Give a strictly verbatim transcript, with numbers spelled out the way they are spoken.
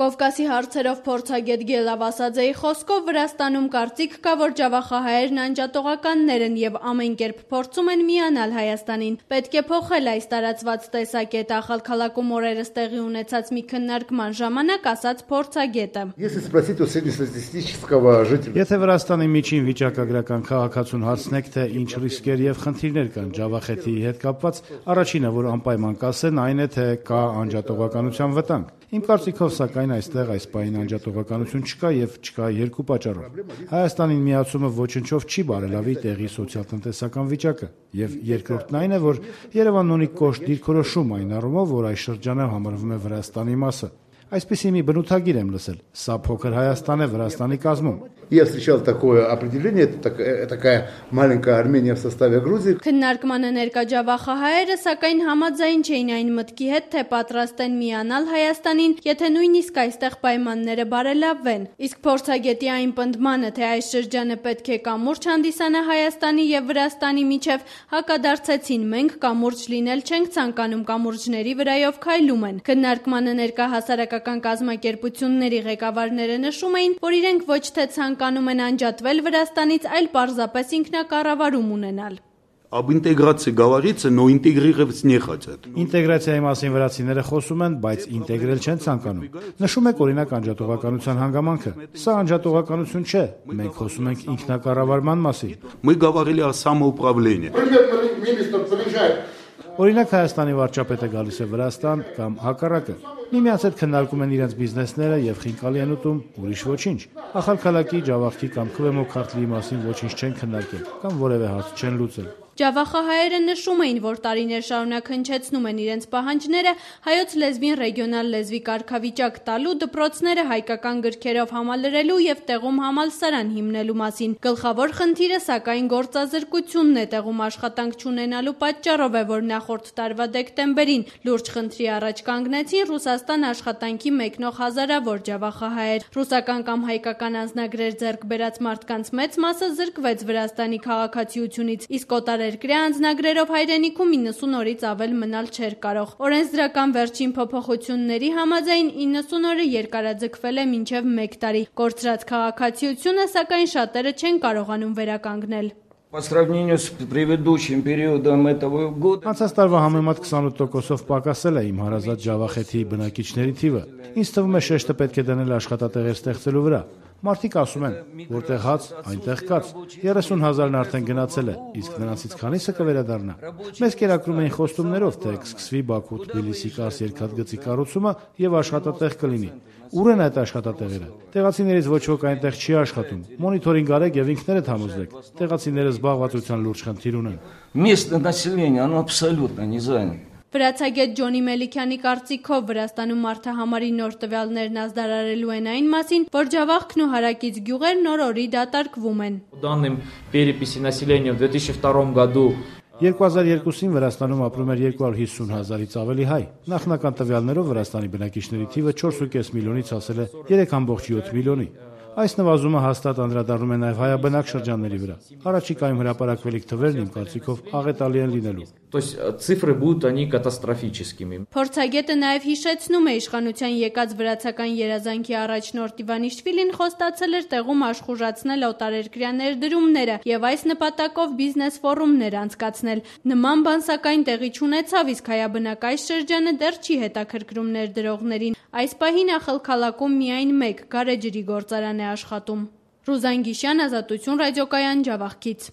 Կովկասի հարցերով փորձագետ Գելավ Ասաձեի խոսքով Վրաստանում կարծիք կա, որ ջավախահայերն անջատողականներ են եւ ամեն կերպ փորձում են միանալ Հայաստանին։ Պետք է փոխել այս տարածված տեսակետը, Ախալքալաքում օրերս տեղի ունեցած մի քննարկման ժամանակ ասաց փորձագետը։ Եթե Վրաստանի միջին վիճակագրական քաղաքացուն հարցնեք, թե ինչ ռիսկեր եւ խնդիրներ կան ջավախեթի հետ կապված, առաջինը, որ անպայման կասեն, այն է, թե կա անջատողականության վտանգ։ Իմ կարծիքով, սակայն, այստեղ այս պահին անջատողականություն չկա եւ չկա երկու պատճառով։ Հայաստանին միացումը ոչնչով չի բարելավի տեղի սոցիալ-տնտեսական վիճակը, եւ երկրորդն այն է, որ Երևանն ունի կոշտ դիրքորոշում այն առումով, որ այս շրջանը համարվում է Վրաստանի մասը։ Այսպիսի մի բնութագիր եմ լսել. սա փոքր Հայաստան է Վրաստանի կազմում։ Я встречал такое определение, это такая маленькая Армения в составе Грузии. Քննարկմանը ներկա ջավախահայերը սակայն համաձայն չէին այն մտքի հետ, թե պատրաստ են միանալ Հայաստանին, եթե նույնիսկ այստեղ պայմանները բարելավվեն։ Իսկ փորձագետի այն պնդմանը, թե այս շրջանը պետք է կամուրջ հանդիսանա Հայաստանի եւ Վրաստանի միջև, հակադարձեցին. մենք կամուրջ լինել չենք ցանկանում, կամուրջների վրայով քայլում են։ Քննարկմանը ներկա հասարակական կազմակերպությունների ղեկավարները նշում էին, որ իրենք ոչ թե ցանկանում են անջատվել Վրաստանից, այլ պարզապես ինքնակառավարում ունենալ։ Об интеграции говорится, но интегрировать не хотят։ Ինտեգրացիայի մասին վրացիները խոսում են, բայց ինտեգրել չեն ցանկանում։ Նշում եք օրինակ անջատողականության հանգամանքը։ Սա անջատողականություն չէ։ Մենք խոսում ենք ինքնակառավարման մասին։ Мы говорили о самоуправлении։ Օրինակ Հայաստանի վարչապետը գալիս է Վրաստան կամ հակառակը։ Միմյանց հետ քննարկում են իրենց բիզնեսները եւ խինկալի են ուտում, ուրիշ ոչինչ։ Ախալքալակի, ջավախքի կամ Քվեմո քարտլիի մասին ոչինչ չեն քննարկել կամ որևէ հարց չեն լուծել։ Ջավախահայերը նշում էին, որ տարիներ շարունակ հնչեցնում են իրենց պահանջները հայոց լեզվին ռեգիոնալ լեզվի կարգավիճակ տալու, դպրոցները հայկական գրքերով համալրելու եւ տեղում համալսարան հիմնելու մասին։ Գլխավոր խնդիրը սակայն գործազրկությունն է, տեղում աշխատանք չունենալու պատճառով է, որ նախորդ տարվա դեկտեմբերին լուրջ խնդրի առաջ կանգնեցին Ռուսաստան աշխատանքի մեկնող հազարավոր ջավախահայեր։ Ռուսական կամ հայկական անձնագրեր ձեռք բերած մարդկանց մեծ մասը զրկվեց Վրաստանի քաղաքացիությունից, իսկ օտարերկրյա անձնագրերով հայրենիքում իննսուն օրից ավել մնալ չէր կարող։ Օրենսդրական վերջին փոփոխությունների համաձայն իննսուն օրը երկարաձգվել է մինչև մեկ տարի։ Կորցրած քաղաքացիությունը սակայն շատերը չեն կարողանում վերականգնել։ По сравнению с предыдущим периодом этого года Անցած տարվա համեմատ քսանութ տոկոսով պակասել է իմ հարազատ ջավախեթի բնակիչների թիվը։ Ինձ թվում է շեշտը պետք է դնել աշխատատեղեր ստեղծելու վրա։ Մարդիկ ասում են, որտեղ հաց, այնտեղ կաց։ երեսուն հազարն արդեն գնացել է, իսկ նրանցից քանիսը կվերադառնա։ Մեզ կերակրում էին խոստումներով, թե կսկսվի Բաքու-Թբիլիսի կարս երկաթգծի կառուցումը եւ աշխատատեղ կլինի։ Ուր են այդ աշխատատեղերը։ Տեղացիներից ոչ ոք այնտեղ չի աշխատում։ Մոնիթորինգ արեք եւ ինքներդ համոզվեք։ Տեղացիները զբաղվածության լուրջ խնդիր ունեն։ Местное население, оно абсолютно не занято։ Վրացագետ Ջոնի Մելիքյանի կարծիքով Վրաստանում մարդահամարի նոր տվյալներն ազդարարելու են այն մասին, որ ջավախքն ու հարակից գյուղեր նոր-օրի դատարկվում են։ По данным переписи населения в две тысячи втором году երկու հազար երկուսին Վրաստանում ապրում էր երկու հարյուր հիսուն հազարից ավելի հայ։ Նախնական տվյալներով Վրաստանի բնակիչների թիվը չորս կես միլիոնից հասել է երեք կόμma յոթ միլիոնի։ Այս նվազումը հաստատ անդրադառնում է նաև հայաբնակ շրջանների վրա։ Առաջիկայում հրապարակվելիք թվերն իմ կարծիքով աղետալի են լինելու։ То есть цифры будут они катастрофическими։ Փորձագետը նաև հիշեցնում է իշխանության եկած վրացական երազանքի առաջնորդ Իվանիշվիլին խոստացել էր տեղում աշխուժացնել օտարերկրյա ներդրումները եւ այս նպատակով բիզնես ֆորումներ անցկացնել։ Նման բան սակայն տեղի չունեցավ, իսկ հայաբնակ այս շրջանը դեռ չի հետաքրքրում ներդրողներին։ Այս պահին Ախալքալաքում միայն մեկ գարեջրի գործարան է աշխատում։ Ռուզան Գիշյան, Ազատություն ռադիոկայան, Ջավախքից։